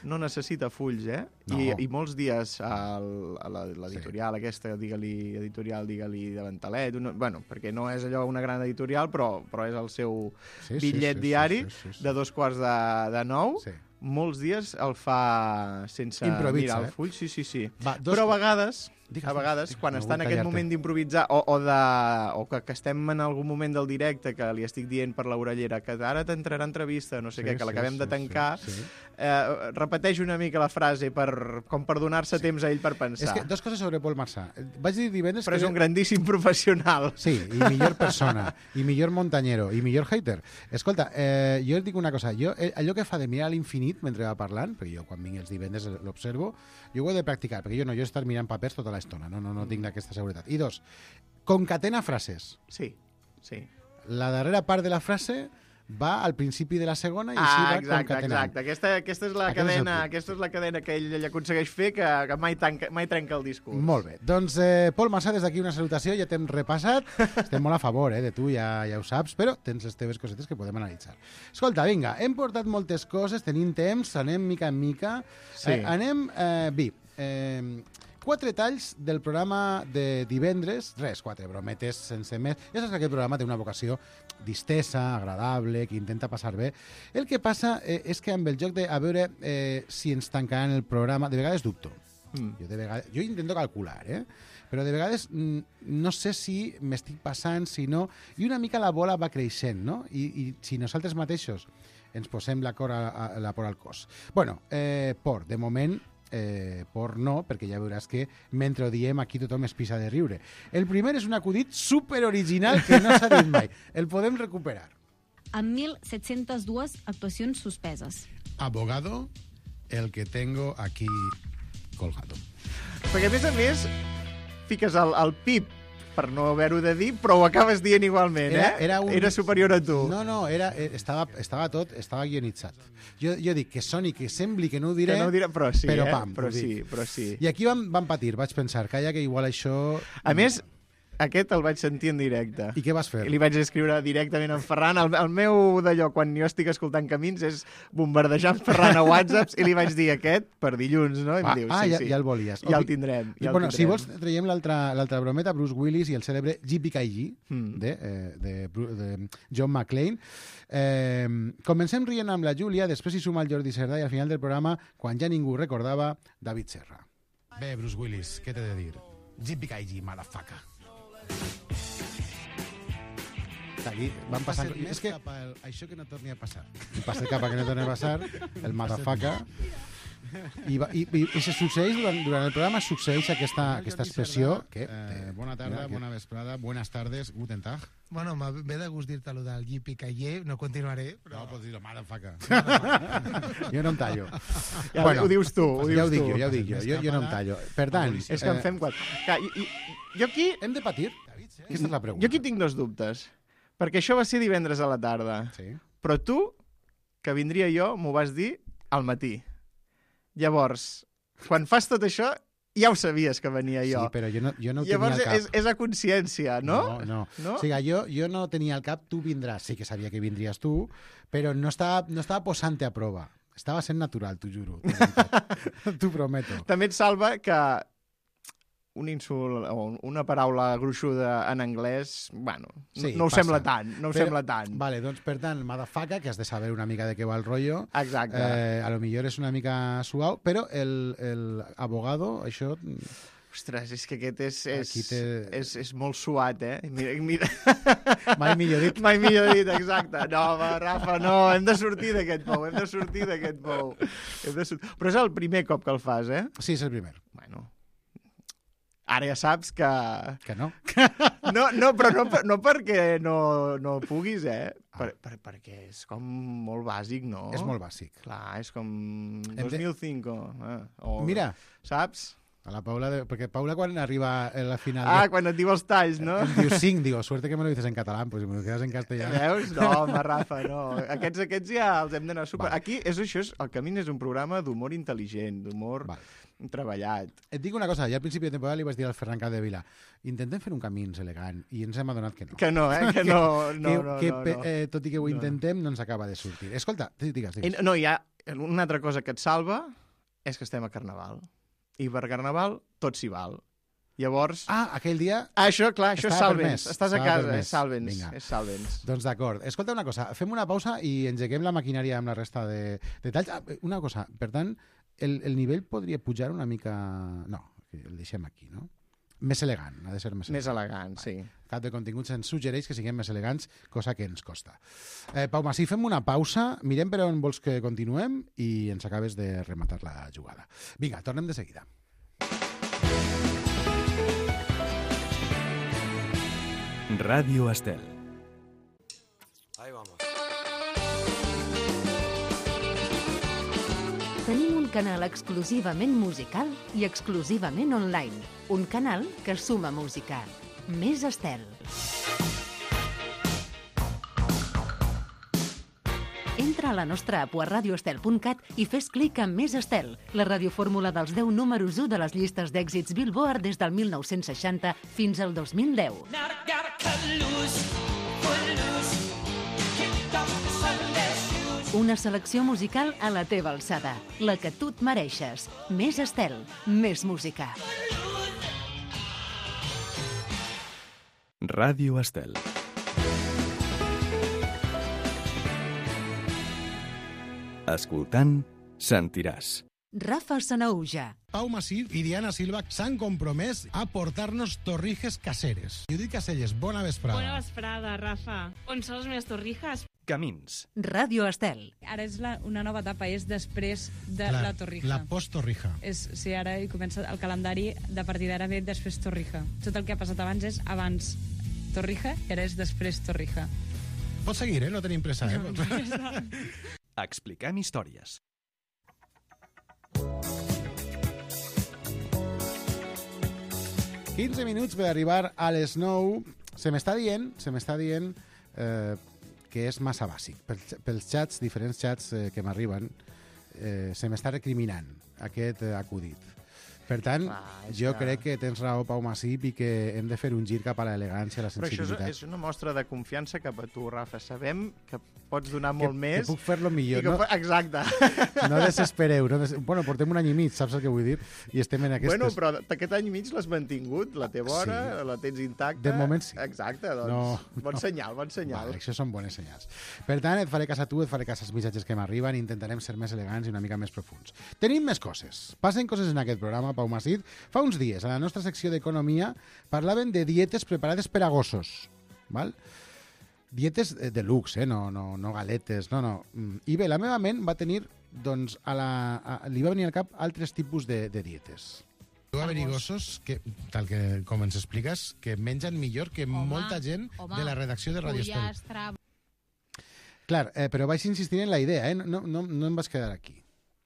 no necessita fulls, eh?
No.
I, I molts dies al, a la- l'editorial sí. aquesta, digue-li editorial, digue-li de Ventalet, una, bueno, perquè no és allò una gran editorial, però, però és el seu
Sí, sí,
bitllet
sí, sí,
diari
sí, sí, sí.
de dos quarts de, de nou.
Sí.
Molts dies el fa sense
Improvisa,
mirar
eh?
el full, sí, sí, sí.
Va, dos-
Però a vegades
Digues,
a vegades,
digues,
quan
no
està en
vull
aquest
tallar-te.
moment d'improvisar o, o, de, o que, que estem en algun moment del directe que li estic dient per l'orellera que ara t'entrarà entrevista, no sé
Sí,
què, que
sí,
l'acabem
sí,
de tancar,
sí, sí.
Eh, repeteix una mica la frase per, com per donar-se sí. temps a ell per pensar.
És que dos coses sobre Pol Marsà. Vaig dir divendres
Però
que...
és un grandíssim professional.
Sí, i millor persona, i millor montañero, i millor hater. Escolta, eh, jo et dic una cosa, jo, eh, allò que fa de mirar a l'infinit mentre va parlant, perquè jo quan vinc els divendres l'observo, jo ho he de practicar, perquè jo no, jo he estat mirant papers tota l'estona, no, no, no tinc aquesta seguretat. I dos, concatena frases.
Sí, sí.
La darrera part de la frase va al principi de la segona i així
Ah,
va
exacte,
concatenant.
exacte. Aquesta, aquesta, és la
Aquest és el
cadena,
punt.
aquesta és la cadena que ell, ell aconsegueix fer que, que mai, tanca, mai trenca el discurs.
Molt bé. Doncs, eh, Pol Marsà, des d'aquí una salutació, ja t'hem repassat. Estem molt a favor eh, de tu, ja, ja ho saps, però tens les teves cosetes que podem analitzar. Escolta, vinga, hem portat moltes coses, tenim temps, anem mica en mica.
Sí.
Eh, anem, eh, vi, eh, quatre talls del programa de divendres, res, quatre brometes sense més. Ja saps que aquest programa té una vocació distesa, agradable, que intenta passar bé. El que passa eh, és que amb el joc de a veure eh, si ens tancaran el programa, de vegades dubto. Mm. Jo, de vegades, jo intento calcular, eh? però de vegades mm, no sé si m'estic passant, si no... I una mica la bola va creixent, no? I, i si nosaltres mateixos ens posem la, cor a, a, la por al cos. Bueno, eh, por, de moment... Eh, por no, perquè ja veuràs que mentre ho diem aquí tothom es pisa de riure. El primer és un acudit super original que no s'ha dit mai. El podem recuperar.
Amb mil set-centes dues actuacions suspeses.
Abogado, el que tengo aquí colgado.
Perquè, a més a més, fiques el, el pip per no haver-ho de dir, però ho acabes dient igualment,
Era,
eh?
era, un...
era superior a tu.
No, no, era, estava, estava tot, estava guionitzat. Jo, jo dic que soni, que sembli que no ho diré,
que no ho diré però sí,
però
eh?
pam,
però
ho dic.
sí, però sí.
I aquí vam, vam patir, vaig pensar, calla, que igual això...
A més, aquest el vaig sentir en directe.
I què vas fer?
I li vaig escriure directament a en Ferran. El, el meu d'allò, quan jo estic escoltant Camins, és bombardejar en Ferran a WhatsApps i li vaig dir aquest per dilluns, no? I
ah,
em diu,
ah
sí,
ja,
sí.
ja el volies.
Ja el tindrem. Ja
bueno,
el tindrem.
si vols, traiem l'altra brometa, Bruce Willis i el cèlebre J P K G,
mm.
de, eh, de, de John McClane. Eh, comencem rient amb la Júlia, després hi suma el Jordi Cerdà i al final del programa, quan ja ningú recordava, David Serra. Bé, Bruce Willis, què t'he de dir? J P K G, motherfucker. Aquí van passant... És que... El, això que no torni a passar. I passa cap a que no torni a passar, el motherfucker... I, va, i, i, i se succeeix durant, durant el programa succeeix aquesta, aquesta expressió que, eh, bona tarda, mira, bona vesprada, buenas tardes, guten tag.
Bueno, m'he de gust dir-te allò del Yipi Cayer, no continuaré, però...
No, pots dir-ho, motherfucker. Jo no em tallo.
Ja, bueno, ho dius tu, ho dius
ja ho dic
tu.
jo, ja ho dic jo, jo, jo no em tallo. Per tant...
És que en fem quatre. Clar, i, i, jo aquí...
Hem de patir? Aquesta és la pregunta.
Jo aquí tinc dos dubtes. Perquè això va ser divendres a la tarda.
Sí.
Però tu, que vindria jo, m'ho vas dir al matí. Llavors, quan fas tot això, ja ho sabies que venia jo.
Sí, però jo no, jo no ho
Llavors,
tenia al cap.
és, és a consciència, no?
No, no.
no?
O sigui, jo, jo no tenia al cap, tu vindràs. Sí que sabia que vindries tu, però no estava, no estava posant-te a prova. Estava sent natural, t'ho juro. T'ho prometo.
També et salva que un insult o una paraula gruixuda en anglès, bueno,
sí,
no ho
passa.
sembla tant, no ho
Però,
sembla tant.
Vale, doncs, per tant, motherfucker, que has de saber una mica de què va el rotllo.
Exacte.
Eh, a lo millor és una mica suau, però el, el abogado, això...
Ostres, és que aquest és, és,
te...
és, és molt suat, eh? Mira, mira.
Mai millor dit.
Mai millor dit, exacte. No, va, Rafa, no, hem de sortir d'aquest pou, hem de sortir d'aquest pou. Hem de sortir... Però és el primer cop que el fas, eh?
Sí, és el primer.
Bueno, ara ja saps que...
Que no?
No, no però no, no perquè no, no puguis, eh? Per, per, perquè és com molt bàsic, no?
És molt bàsic.
Clar, és com
Hem
dos mil cinc. Eh? O,
Mira.
Saps?
A la Paula, de... perquè Paula quan arriba a la final...
Ah,
de...
quan et diu els talls, no?
Em diu cinc, digo, suerte que me lo dices en català, pues si me lo quedas en castellà...
Veus? No, home, Rafa, no. Aquests, aquests ja els hem d'anar super... Vale. Aquí, és això, és, el Camí és un programa d'humor intel·ligent, d'humor vale. treballat.
Et dic una cosa, ja al principi de temporada li vaig dir al Ferran Capdevila, intentem fer un Camins elegant, i ens hem adonat que no.
Que no, eh? Que no, no,
que,
no,
que,
no, no.
Eh, tot i que ho
no.
intentem, no ens acaba de sortir. Escolta, digues, digues.
No, hi ha una altra cosa que et salva, és que estem a Carnaval. I per Carnaval tot s'hi val. Llavors...
Ah, aquell dia...
Ah, això, clar, això és Salvens. Estàs a casa, és Salvens. És Salvens.
Doncs d'acord. Escolta una cosa, fem una pausa i engeguem la maquinària amb la resta de detalls. Ah, una cosa, per tant, el, el nivell podria pujar una mica... No, el deixem aquí, no? Més elegant, ha de ser més elegant.
Més elegant, sí.
Cap de continguts ens suggereix que siguem més elegants, cosa que ens costa. Eh, Pau Masí, fem una pausa, mirem per on vols que continuem i ens acabes de rematar la jugada. Vinga, tornem de seguida.
Ràdio Estel.
Ahí vamos.
Tenim un canal exclusivament musical i exclusivament online. Un canal que suma música. Més Estel. Entra a la nostra app a radioestel punt cat i fes clic en Més Estel, la radiofórmula dels deu números u de les llistes d'èxits Billboard des del mil nou-cents seixanta fins al dos mil deu. Una selecció musical a la teva alçada, la que tu et mereixes. Més Estel, més música.
Ràdio Estel. Escoltant, sentiràs.
Rafa Sanauja.
Pau Masí i Diana Silva s'han compromès a portar-nos torrijes caseres. Judit Caselles, bona vesprada.
Bona vesprada, Rafa. On són les meves torrijas?
Camins.
Ràdio Estel.
Ara és la, una nova etapa, és després de
Clar,
la torrija.
La post-torrija.
És, sí, ara hi comença el calendari, de partir d'ara ve després torrija. Tot el que ha passat abans és abans torrija i ara és després torrija.
Pots seguir, eh? No tenim pressa, eh? No,
Expliquem històries.
quinze minuts per arribar a les nou. Se m'està dient, se m'està dient eh, que és massa bàsic. Pels, pels xats, diferents xats eh, que m'arriben, eh, se m'està recriminant aquest eh, acudit. Per tant,
Ah, és
jo
que-
crec que tens raó, Pau Masip, i que hem de fer un gir cap a l'elegància, a la
Però això
sensibilitat.
és, és una mostra de confiança cap a tu, Rafa. Sabem que pots donar
Que-
molt
que
més.
puc fer-lo millor,
i que
no?
po- Exacte.
No desespereu. No des... Bueno, portem un any i mig, saps el que vull dir? I estem en aquestes...
Bueno, però aquest any i mig l'has mantingut, la teva hora,
Sí.
la tens intacta.
De moment sí.
Exacte, doncs,
No,
bon
no.
senyal, bon senyal.
Vale, això són bones senyals. Per tant, et faré cas a tu, et faré cas als missatges que m'arriben, intentarem ser més elegants i una mica més profuns. Tenim més coses. Passen coses en aquest programa, Pau Masip. Fa uns dies, a la nostra secció d'Economia, parlaven de dietes preparades per a gossos. Val? Dietes de luxe, eh? no, no, no galetes, no, no. Mm, I bé, la meva ment va tenir, doncs, a la, a, li va venir al cap altres tipus de, de dietes.
Deu haver-hi gossos, que, tal que com ens expliques, que mengen millor que
Home,
molta gent
home,
de la redacció de Radio Estel.
pollastre.
Clar, eh, però vaig insistir en la idea, eh? no, no, no em vas quedar aquí.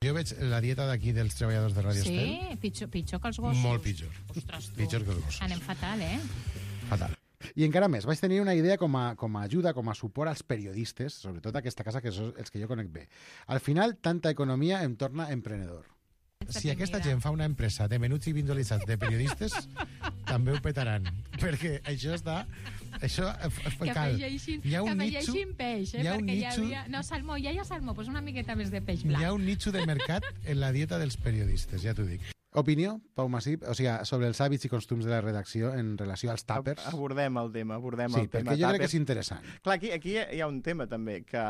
Jo veig la dieta d'aquí dels treballadors de Radio Estel
Sí, pitjor, pitjor que els gossos.
molt pitjor.
Ostres, tu.
Pitjor que els gossos.
Anem fatal, eh?
Fatal. I encara més, vaig tenir una idea com a, com a ajuda, com a suport als periodistes, sobretot a aquesta casa, que són els que jo conec bé. Al final, tanta economia em torna emprenedor.
Si aquesta gent fa una empresa de menuts i vindolitzats de periodistes, també ho petaran. Perquè això està... Això eh, f-
Que
cal.
afegeixin,
Hi ha un
que
nitxo,
afegeixin peix, eh?
hi ha un
Perquè
nitxo-
hi havia... No, salmó, ja hi ha salmó, doncs una miqueta més de peix
hi
blanc.
ha un nicho de mercat en la dieta dels periodistes, ja t'ho dic.
Opinió, Pau Masip, o sigui, sobre els hàbits i costums de la redacció en relació als tàpers?
Abordem el tema, abordem
Sí,
el tema.
perquè jo crec que
tàpers.
és interessant.
Clar, aquí, aquí hi ha un tema també, que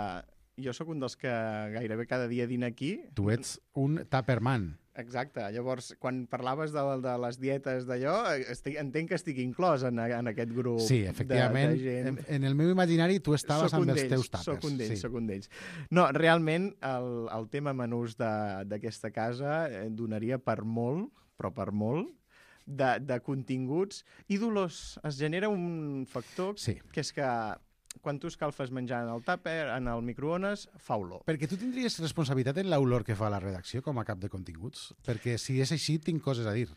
jo sóc un dels que gairebé cada dia dina aquí.
Tu ets un tàperman.
Exacte. Llavors, quan parlaves de, de les dietes d'allò, estic, entenc que estic inclòs en, en aquest grup
Sí, efectivament.
de, de gent.
En, en el meu imaginari tu estaves
Sóc un
amb els
d'ells,
teus tàpers.
Soc un d'ells,
sí.
soc un d'ells. No, realment, el, el tema menús de- d'aquesta casa eh, donaria per molt, però per molt, de, de continguts. I, Dolors, es genera un factor
Sí.
que és que quan tu escalfes menjar en el tàper, en el microones, fa olor.
Perquè tu tindries responsabilitat en l'olor que fa la redacció com a cap de continguts? Perquè si és així, tinc coses a dir.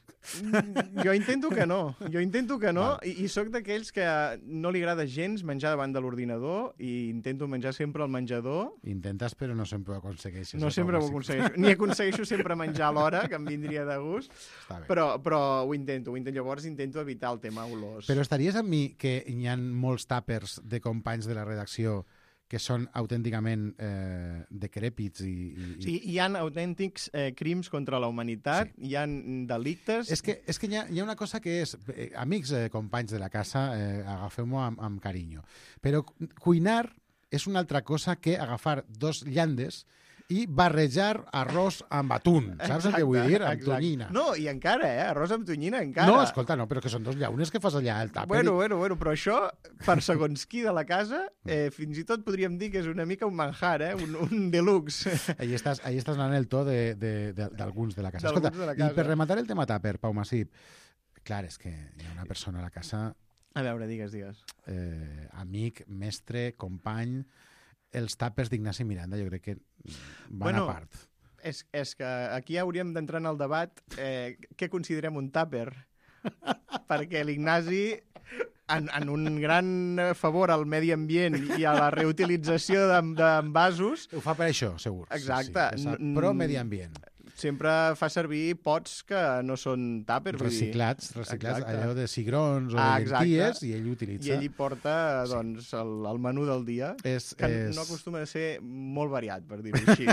Jo intento que no, jo intento que no,
Val.
i, i sóc d'aquells que no li agrada gens menjar davant de l'ordinador i intento menjar sempre al menjador.
Intentes, però no sempre ho aconsegueixes.
No
eh,
sempre ho
Pau Masip?
aconsegueixo, ni aconsegueixo sempre menjar a l'hora, que em vindria de gust,
Està bé.
però, però ho intento, ho intento. Llavors intento evitar el tema olors.
Però estaries amb mi que hi ha molts tàpers de companys de la redacció que són autènticament eh, decrèpits i... i, i...
Sí, hi ha autèntics eh, crims contra la humanitat, sí. Hi ha delictes...
És que, és que hi, ha, hi ha una cosa que és... Eh, amics, eh, companys de la casa, eh, agafeu-m'ho amb, amb carinyo. Però cu- cuinar és una altra cosa que agafar dos llandes i barrejar arròs amb atún. Saps el que vull dir? Amb
exacte.
tonyina.
No, i encara, eh? Arròs amb tonyina, encara.
No, escolta, no, però que són dos llaunes que fas allà al tàper.
Bueno, bueno, bueno, però això, per segons qui de la casa, eh, fins i tot podríem dir que és una mica un manjar, eh? Un, un deluxe.
Ahí estàs, ahí estàs anant el to d'alguns de, de, de, de la casa.
D'alguns
Escolta,
de la casa.
i per rematar el tema tàper, Pau Masip, clar, és que hi ha una persona a la casa...
A veure, digues, digues.
Eh, amic, mestre, company... Els tàpers d'Ignasi Miranda jo crec que van
bueno,
a part.
És, és que aquí hauríem d'entrar en el debat eh, què considerem un tàper. Perquè l'Ignasi, en, en un gran favor al medi ambient i a la reutilització d'envasos...
Ho fa per això, segur.
Exacte.
Sí, sí, pro medi ambient.
Sempre fa servir pots que no són tàpers.
Reciclats,
vull dir.
reciclats,
Exacte.
allò de cigrons o
ah,
de llenties, i ell utilitza.
I ell hi porta doncs, el, el menú del dia,
és,
que
és...
no acostuma a ser molt variat, per dir-ho així.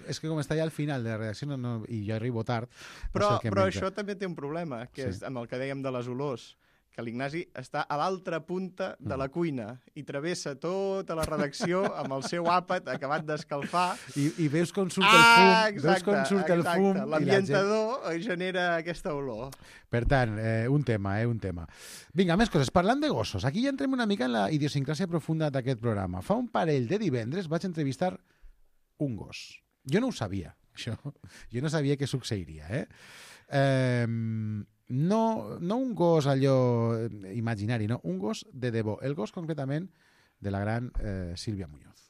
És que com està ja al final de la redacció no, no, i jo arribo tard...
Però,
no sé
però això també té un problema, que
sí.
és amb el que dèiem de les olors, que l'Ignasi està a l'altra punta de la cuina i travessa tota la redacció amb el seu àpat acabat d'escalfar.
I, i veus com surt
ah,
el fum.
exacte,
veus com surt el
exacte.
fum.
L'ambientador gent... genera aquesta olor.
Per tant, eh, un tema, eh, un tema. Vinga, més coses. Parlant de gossos, aquí ja entrem una mica en la idiosincràsia profunda d'aquest programa. Fa un parell de divendres vaig entrevistar un gos. Jo no ho sabia, això. Jo no sabia què succeiria, eh? Eh... No, no un gos allò imaginari, no, un gos de debò. El gos, concretament, de la gran eh, Sílvia Muñoz.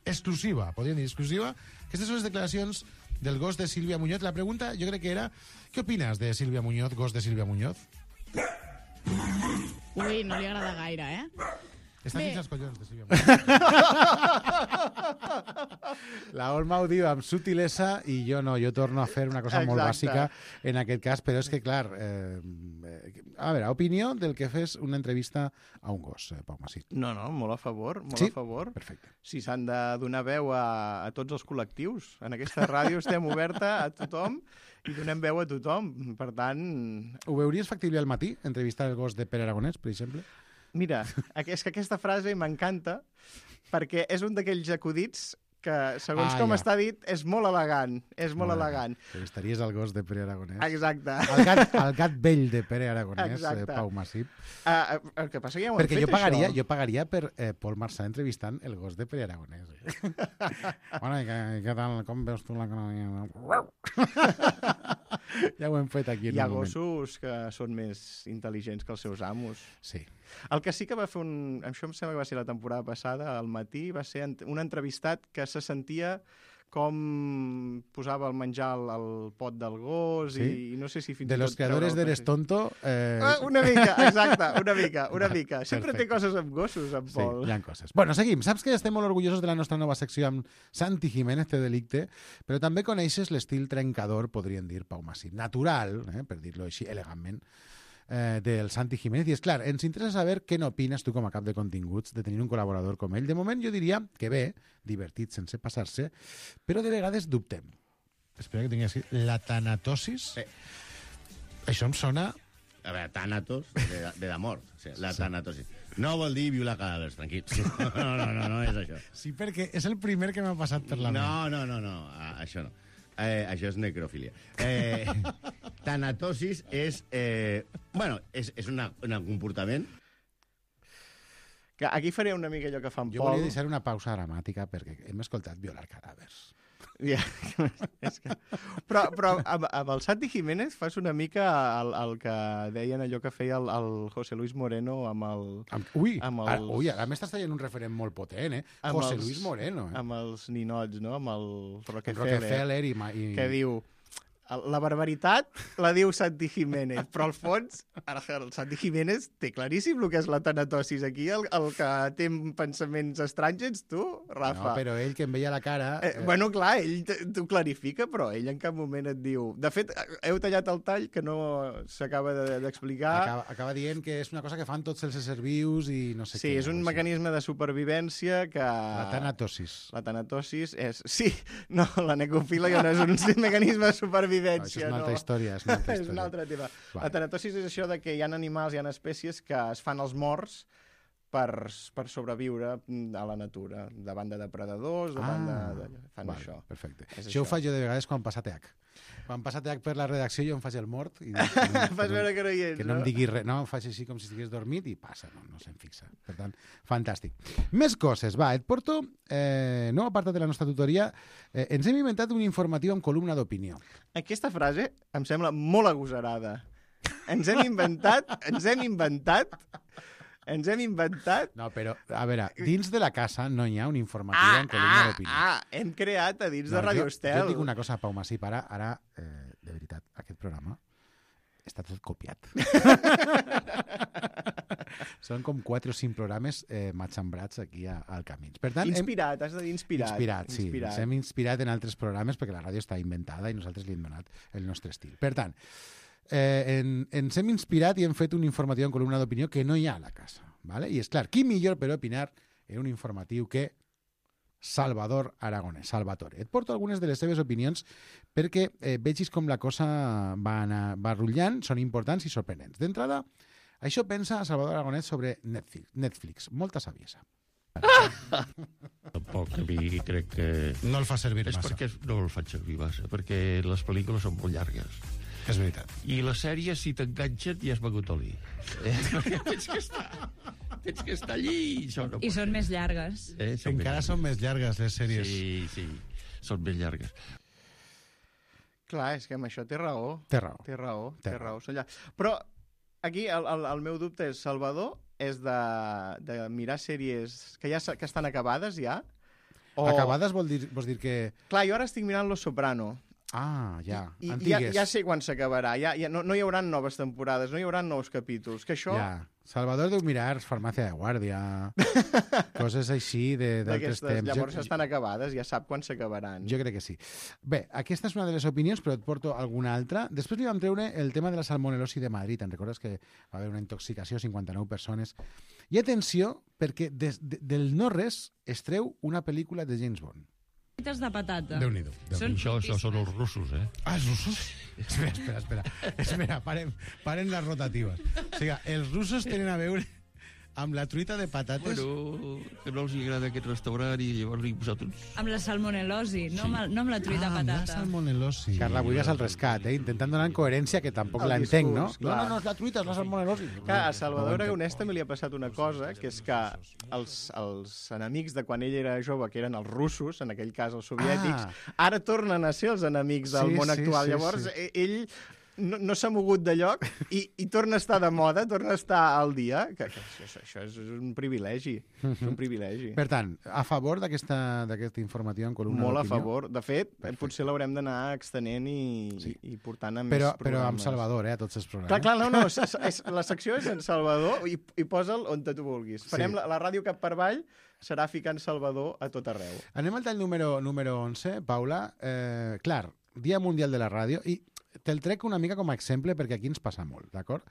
Exclusiva, podríem dir exclusiva. Aquestes són les declaracions del gos de Sílvia Muñoz. La pregunta, jo crec que era, què opines de Sílvia Muñoz, gos de Sílvia Muñoz?
Ui, no li agrada gaire, eh?
Està
Bé.
fins als collons de Sílvia Muñoz. La Olma ho diu amb sutilesa i jo no, jo torno a fer una cosa molt
Exacte.
bàsica en aquest cas, però és que, clar, eh, a veure, opinió del que fes una entrevista a un gos, eh, Pau Masip.
No, no, molt a favor, molt
Sí?
a favor.
Perfecte.
Si s'han de donar veu a, a tots els col·lectius. En aquesta ràdio estem oberta a tothom i donem veu a tothom. Per tant...
Ho veuries factible al matí, entrevistar el gos de Pere Aragonès, per exemple?
Mira, és que aquesta frase m'encanta perquè és un d'aquells acudits que, segons
Ah,
com
ja.
està dit, és molt elegant. És molt, molt elegant.
Entrevistaries el gos de Pere Aragonès.
Exacte.
El gat, el gat vell de Pere Aragonès, eh,
Exacte.
Pau Masip.
Uh, el que passa que ja ho hem
Perquè
fet,
jo pagaria,
això.
jo pagaria per eh, Pol Marçà entrevistant el gos de Pere Aragonès. Eh? Bueno, i què, què tal? Com veus tu la economia? Ja ho hem fet aquí en
Hi ha
un moment.
gossos que són més intel·ligents que els seus amos.
Sí.
El que sí que va fer un... Això em sembla que va ser la temporada passada, al matí, va ser un entrevistat que se sentia com posava el menjar al, al pot del gos
Sí?
i, i no sé si fins
De
i
los
tot...
creadores
treure el
d'Eres
pes-
Tonto... Eh...
Ah, una mica, exacte, una mica, una
Va,
mica. Sempre
perfecte.
té coses amb gossos, en
Sí,
Pol.
hi ha coses. Bueno, seguim. Saps que estem molt orgullosos de la nostra nova secció amb Santi Jiménez de Delicte, però també coneixes l'estil trencador, podríem dir, Pau Masip. Natural, eh, per dir-lo així elegantment, eh, del Santi Jiménez. I és clar, ens interessa saber què n'opines tu com a cap de continguts de tenir un col·laborador com ell. De moment jo diria que bé, divertit sense passar-se, però de vegades dubtem.
Espera que tingui així. La tanatosis?
Sí.
Això em sona...
A veure, tànatos, de, de la mort. O sigui, la tànatosi. No vol dir violar cadàvers, tranquils. No, no, no, no és això.
Sí, perquè és el primer que m'ha passat per la ment.
No, no, no, no, a- això no. Eh, això és necrofília. Eh, tanatosis és... Eh, bueno, és, és una, un comportament...
Que aquí faré una mica allò que fa en
Jo
Pol.
volia deixar una pausa dramàtica perquè hem escoltat violar cadàvers.
Ja, és que... Però, però amb, amb el Santi Jiménez fas una mica el, el que deien allò que feia el, el José Luis Moreno amb el...
Amb, ui,
amb
ara,
els,
ui, ara m'estàs traient un referent molt potent, eh?
amb
José
els-
Luis Moreno, eh?
Amb els ninots, no? Amb el Rockefeller.
Rockefeller i... ma- i...
Que diu... La barbaritat la diu Santi Jiménez, però al fons el Santi Jiménez té claríssim el que és la tanatosis. Aquí el, el que té pensaments estranys ets tu, Rafa.
No, però ell que em veia la cara...
Eh, bueno, clar, ell t- t'ho clarifica, però ell en cap moment et diu... De fet, heu tallat el tall que no s'acaba de- d'explicar.
Acaba, acaba dient que és una cosa que fan tots els éssers vius i no sé
Sí,
què.
és un mecanisme de supervivència que...
La tanatosis.
La tanatosis és... Sí, no, la necrofília no és un mecanisme de supervivència.
No, això és una altra
no.
història, és una altra
és un
història.
altre tema.
Vale.
La tanatosis és això de que hi ha animals, hi ha espècies que es fan els morts per, per sobreviure a la natura, davant de depredadors, davant
Ah,
de, de... fan
vale,
això.
perfecte.
És
Això ho faig jo de vegades quan passa T H. Quan passa T H per la redacció jo em faig el mort i dic, no,
Fas veure que no hi ets,
que no,
no?
em digui res, no, em faig així com si estigués dormit i passa, no, no se'n fixa. Per tant, fantàstic. Més coses, va, et porto, eh, nou apartat de la nostra tutoria, eh, ens hem inventat un informatiu amb columna d'opinió.
Aquesta frase em sembla molt agosarada. Ens hem inventat, ens hem inventat, ens hem inventat...
No, però, a veure, dins de la casa no hi ha un informatiu
Ah,
amb columna
ah,
d'opinió.
ah, hem creat a dins de
No,
Radio
jo,
Estel.
jo et dic una cosa, Pau Masip, ara, ara eh, de veritat, aquest programa està tot copiat. Són com quatre o cinc programes eh, matxambrats aquí a, al Camins. Per tant,
Inspirat, has de dir inspirat.
Inspirat, sí.
Inspirat.
Ens hem inspirat en altres programes perquè la ràdio està inventada i nosaltres li hem donat el nostre estil. Per tant, eh, en, ens hem inspirat i hem fet un informatiu en columna d'opinió que no hi ha a la casa. ¿Vale? I és clar, qui millor per opinar en un informatiu que Salvador Aragonès, Salvatore. Et porto algunes de les seves opinions perquè eh, vegis com la cosa va, anar, va rutllant, són importants i sorprenents. D'entrada, això pensa Salvador Aragonès sobre Netflix, Netflix. Molta saviesa.
Tampoc, a mi crec que...
No el fa servir
és
massa.
perquè no el faig servir massa, perquè les pel·lícules són molt llargues.
És veritat.
I les sèries, si t'enganxen, ja has begut oli. Eh? Perquè tens que estar, tens que estar allí i això no
I
pot
són més llargues.
Eh, són
Encara
més
són més llargues les sèries.
Sí, sí, són més llargues.
Clar, és que amb això té raó.
Té raó.
Té raó,
Té
té raó. Són llarg- Però aquí el, el, el meu dubte és, Salvador, és de, de mirar sèries que ja s- que estan acabades ja? O...
Acabades vol dir, vols dir que...
Clar, jo ara estic mirant Los Soprano.
Ah, ja,
I ja,
antigues.
ja sé quan s'acabarà. Ja, ja, no, no hi haurà noves temporades, no hi haurà nous capítols. Que això...
Ja. Salvador deu mirar Farmàcia de Guàrdia, coses així de- d'altres
d'aquestes,
temps.
llavors
Jo-
estan acabades, ja sap quan s'acabaran.
Jo crec que sí. Bé, aquesta és una de les opinions, però et porto alguna altra. Després li vam treure el tema de la salmonelosi de Madrid. Te'n recordes que va haver una intoxicació, cinquanta-nou persones. I atenció, perquè des, de, del no-res es treu una pel·lícula de James Bond.
De patata.
Déu-n'hi-do.
Són
Això, això són els russos, eh?
Ah, els russos? Espera, espera, espera. Espera, paren, paren les rotatives. O sigui, els russos tenen a veure amb la truita de patates...
Bueno, que no els agrada aquest restaurant i llavors li he posat uns...
Amb la salmonelosi, no, amb, el- no amb la truita
Ah, amb la
patata.
salmonelosi.
Carla Buigas al rescat, eh? Intentant donar coherència, que tampoc
El
l'entenc, no?
discurs,
No,
clar.
no, no, és la truita, és la salmonelosi.
Que a Salvador Aragonès també li ha passat una cosa, que és que els, els enemics de quan ell era jove, que eren els russos, en aquell cas els soviètics,
Ah.
ara tornen a ser els enemics del
Sí,
món
sí,
actual.
sí,
Llavors,
sí.
e- ell no, no s'ha mogut de lloc i, i torna a estar de moda, torna a estar al dia. Que, que això, això és un privilegi. És un privilegi.
Per tant, a favor d'aquesta d'aquest informatiu en columna
Molt a
d'opinió?
favor. De fet, potser l'haurem d'anar extenent i, sí. i, i portant a més
Però,
programes.
però amb Salvador, eh, a tots els programes.
Clar, clar, no, no, és, és, la secció és en Salvador i, i posa'l on tu vulguis. Farem
Sí.
la, la ràdio cap per avall, serà ficant Salvador a tot arreu.
Anem al tall número, número onze, Paula. Eh, clar, Dia Mundial de la Ràdio, i te'l trec una mica com a exemple perquè aquí ens passa molt, d'acord?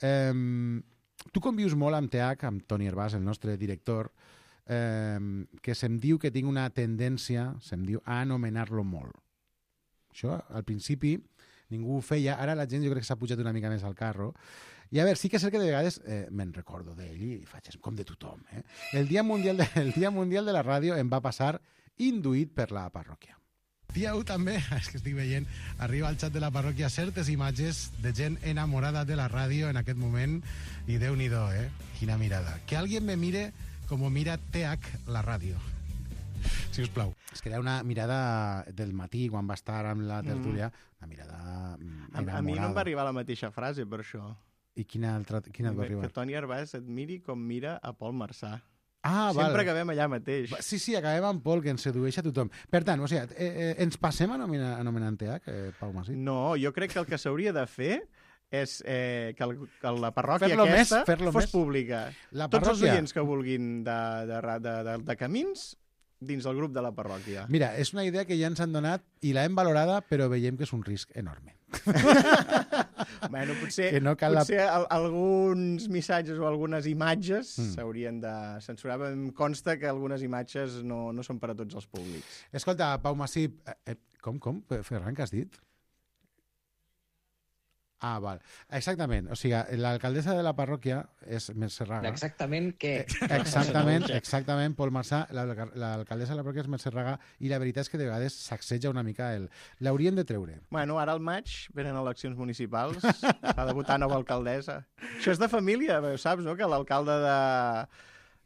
Eh, tu convius molt amb T H, amb Toni Hervàs, el nostre director, eh, que se'm diu que tinc una tendència, se'm diu, a anomenar-lo molt. Això, al principi, ningú ho feia, ara la gent jo crec que s'ha pujat una mica més al carro. I a veure, sí que és cert que de vegades eh, me'n recordo d'ell i faig com de tothom. Eh? El, Dia Mundial de, el Dia Mundial de la Ràdio em va passar induït per la parròquia.
Dia u també, és que estic veient, arriba al xat de la parròquia certes imatges de gent enamorada de la ràdio en aquest moment i Déu-n'hi-do, eh? Quina mirada. Que alguien me mire como mira T H la ràdio. Si us plau.
És que era una mirada del matí, quan va estar amb la tertúlia, una mirada mm,
A, a mi no em va arribar la mateixa frase, per això.
I quina altra, quina et va arribar?
Que Toni Hervàs et miri com mira a Pol Marçà.
Ah,
Sempre
val.
acabem allà mateix.
Va, Sí, sí, acabem amb Pol, que ens sedueix a tothom. Per tant, o sigui, eh, eh, ens passem anomenant, anomenant T H, eh, Pau Masip?
No, jo crec que el que s'hauria de fer és eh, que, el, que la parròquia
Fer-lo més,
aquesta
fer-lo
fos
més.
pública.
La
Tots els
parròquia-
oients que vulguin de, de, de, de, de, de camins dins del grup de la parròquia.
Mira, és una idea que ja ens han donat i l'hem valorada, però veiem que és un risc enorme.
Bueno, potser,
Que no cal la-
potser al, alguns missatges o algunes imatges
Mm.
s'haurien de censurar. Em consta que algunes imatges no, no són per a tots els públics.
Escolta, Pau Masip, eh, eh, com, com? Ferran, què has dit? Ah, val. Exactament. O sigui, l'alcaldessa de la parròquia és Mercè Raga.
Exactament què?
Exactament, exactament, Pol Marçà. L'alcaldessa de la parròquia és Mercè Raga i la veritat és que de vegades sacseja una mica el... L'haurien de treure.
Bueno, ara al maig venen eleccions municipals. S'ha de votar nova alcaldessa. Això és de família, ho saps, no? Que l'alcalde de...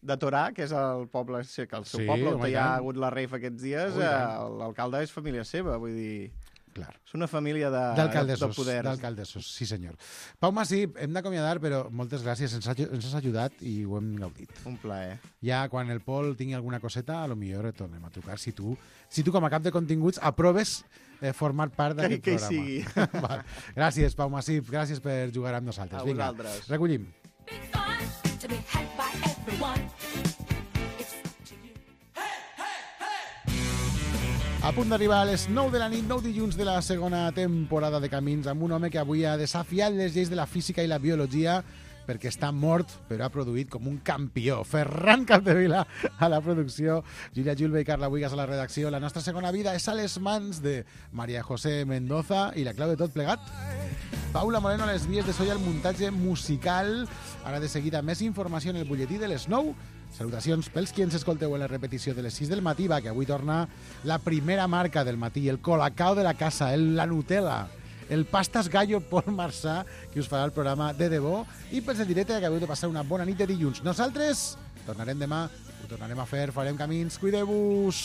de Torà, que és el poble, sí, que el seu
Sí,
poble,
home,
on hi
i
ha
tant.
hagut la rave aquests dies,
Ui, i
eh,
tant.
l'alcalde és família seva, vull dir...
Clar.
És una família de, de
D'alcaldessos,
poders.
d'alcaldessos, sí senyor. Pau Masip, hem d'acomiadar, però moltes gràcies, ens, ha, ens has ajudat i ho hem gaudit.
Un plaer.
Ja quan el Pol tingui alguna coseta, a lo millor et tornem a trucar, si tu, si tu com a cap de continguts aproves eh, formar part d'aquest
Que- que hi
programa.
sigui.
Val. Gràcies, Pau Masip, gràcies per jugar amb nosaltres.
A
Vinga,
vosaltres.
recollim.
To be had by everyone.
A punt d'arribar a les nou de la nit, nou dilluns de la segona temporada de Camins, amb un home que avui ha desafiat les lleis de la física i la biologia perquè està mort, però ha produït com un campió. Ferran Capdevila a la producció, Júlia Julve i Carla Buigas a la redacció. La nostra segona vida és a les mans de Maria José Mendoza i la clau de tot plegat, Paula Moreno a les vies de so i al muntatge musical. Ara de seguida més informació en el butlletí de les nou. Salutacions pels qui ens escolteu en la repetició de les sis del matí, va, que avui torna la primera marca del matí, el Colacao de la casa, el, la Nutella, el Pastas Gallo Pol Marçà, que us farà el programa de debò, i pels de directe que acabeu de passar una bona nit de dilluns. Nosaltres tornarem demà, ho tornarem a fer, farem camins, cuideu-vos!